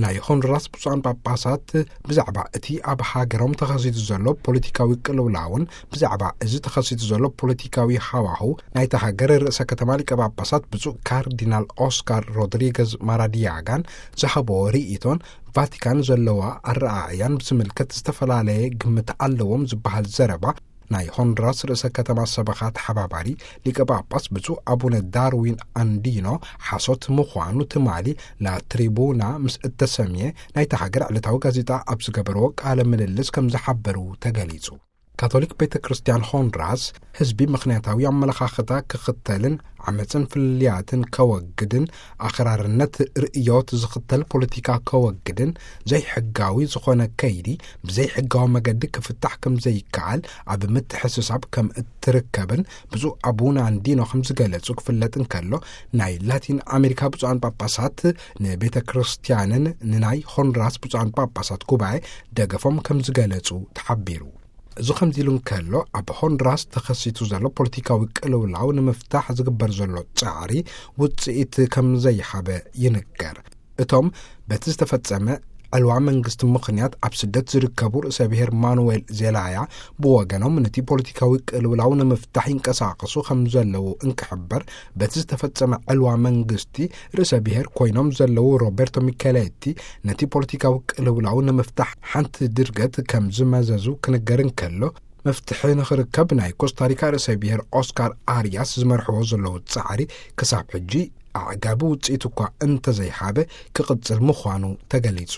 ናይ ሆንዱራስ ብፁዓን ጳጳሳት ብዛዕባ እቲ ኣብ ሃገሮም ተኸሲቱ ዘሎ ፖለቲካዊ ቅልውላውን ብዛዕባ እዚ ተኸሲቱ ዘሎ ፖለቲካዊ ሃዋሁ ናይታ ሃገር ርእሰ ከተማ ሊቀ ጳጳሳት ብፁዕ ካርዲናል ኦስካር ሮድሪገዝ ማራዲያጋን ዝሃቦ ርእይቶን ቫቲካን ዘለዋ ኣረኣእያን ብዝምልከት ዝተፈላለየ ግምት ኣለዎም ዝበሃል ዘረባ ናይ ሆንዱራስ ርእሰ ከተማ ሰበኻ ተሓባባሪ ሊቀ ጳጳስ ብፁዕ ኣቡነ ዳርዊን ኣንዲኖ ሓሶት ምዃኑ ትማሊ ላትሪቡና ምስ እተሰምየ ናይታ ሃገር ዕለታዊ ጋዜጣ ኣብ ዝገበርዎ ቃለ ምልልስ ከም ዝሓበሩ ተገሊጹ። ካቶሊክ ቤተ ክርስቲያን ሆንዱራስ ህዝቢ ምኽንያታዊ ኣመለኻኽታ ክኽተልን ዓመፅን ፍልልያትን ከወግድን ኣኽራርነት ርእዮት ዝኽተል ፖለቲካ ከወግድን ዘይሕጋዊ ዝኾነ ከይዲ ብዘይሕጋዊ መገዲ ክፍታሕ ከም ዘይከኣል ኣብ ምትሕስሳብ ከም እትርከብን ብፁዕ ኣቡነ ኣንዲኖ ከም ዝገለጹ ክፍለጥ እንከሎ፣ ናይ ላቲን ኣሜሪካ ብፁዓን ጳጳሳት ንቤተ ክርስቲያንን ንናይ ሆንዱራስ ብፁዓን ጳጳሳት ጉባኤ ደገፎም ከም ዝገለጹ ተሓቢሩ። እዚ ከምዚ ኢሉ እንከሎ፣ ኣብ ሆንዱራስ ተኸሲቱ ዘሎ ፖለቲካዊ ቅልውላው ንምፍታሕ ዝግበር ዘሎ ጻዕሪ ውጽኢት ከም ዘይሃበ ይንገር። እቶም በቲ ዝተፈጸመ ዕልዋ መንግስቲ ምኽንያት ኣብ ስደት ዝርከቡ ርእሰ ብሔር ማኑዌል ዜላያ ብወገኖም፣ ነቲ ፖለቲካዊ ቅልውላው ንምፍታሕ ይንቀሳቐሱ ከም ዘለዉ እንክሕበር፣ በቲ ዝተፈጸመ ዕልዋ መንግስቲ ርእሰ ብሔር ኮይኖም ዘለዉ ሮቤርቶ ሚኬሌቲ፣ ነቲ ፖለቲካዊ ቅልውላው ንምፍታሕ ሓንቲ ድርገት ከም ዝመዘዙ ክንገር እንከሎ፣ መፍትሒ ንኽርከብ ናይ ኮስታሪካ ርእሰ ብሔር ኦስካር ኣርያስ ዝመርሕዎ ዘለዉ ጻዕሪ ክሳብ ሕጂ ኣዕጋቢ ውጽኢት እኳ እንተዘይሃበ ክቕጽል ምዃኑ ተገሊጹ።